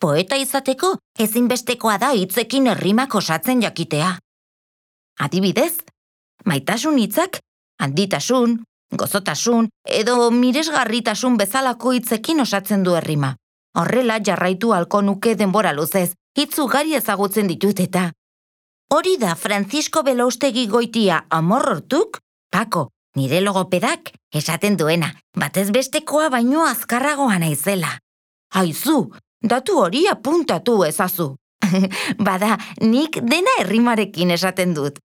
Poeta izateko ezinbestekoa da hitzekin errimak osatzen jakitea. Adibidez, maitasun hitzak handitasun, gozotasun edo miresgarritasun bezalako hitzekin osatzen du errima. Horrela jarraitu halko nuke denbora luzez, hitz ugari ezagutzen ditut eta. Hori da Francisco Belaustegi Goitia amorrortuk, Pako, nire logopedak, esaten duena, batez bestekoa baino azkarragoa naizela. Aizu, datu hori apuntatu ezazu. Bada, nik dena errimarekin esaten dut.